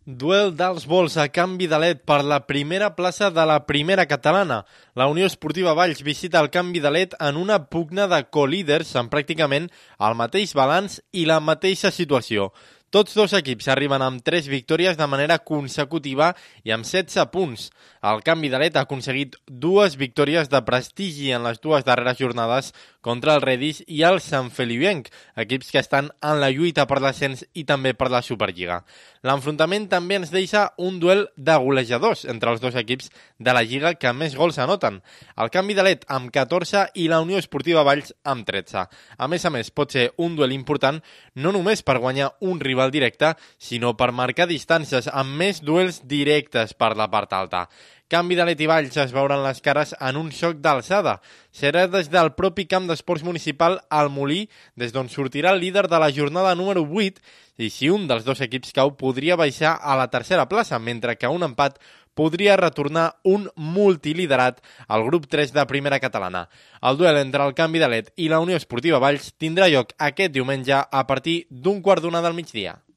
Duel dels Vols a canvi de led per la primera plaça de la primera catalana. La Unió Esportiva Valls visita el canvi de led en una pugna de co-líders amb pràcticament el mateix balanç i la mateixa situació. Tots dos equips arriben amb 3 victòries de manera consecutiva i amb 16 punts. El canvi de led ha aconseguit 2 victòries de prestigi en les 2 darreres jornades contra el Redis i el Sant Feliuenc, equips que estan en la lluita per l'ascens i també per la Superliga. L'enfrontament també ens deixa un duel de golejadors entre els dos equips de la Lliga que més gols anoten. El canvi de led amb 14 i la Unió Esportiva Valls amb 13. A més, pot ser un duel important no només per guanyar un rival directe, sinó per marcar distàncies amb més duels directes per la part alta. Canvi de led i Valls es veuran les cares en un xoc d'alçada. Serà des del propi camp d'esports municipal al Molí, des d'on sortirà el líder de la jornada número 8, i si un dels dos equips cau podria baixar a la tercera plaça, mentre que un empat podria retornar un multiliderat al grup 3 de primera catalana. El duel entre el canvi de led i la Unió Esportiva Valls tindrà lloc aquest diumenge a partir d'1:15 del migdia.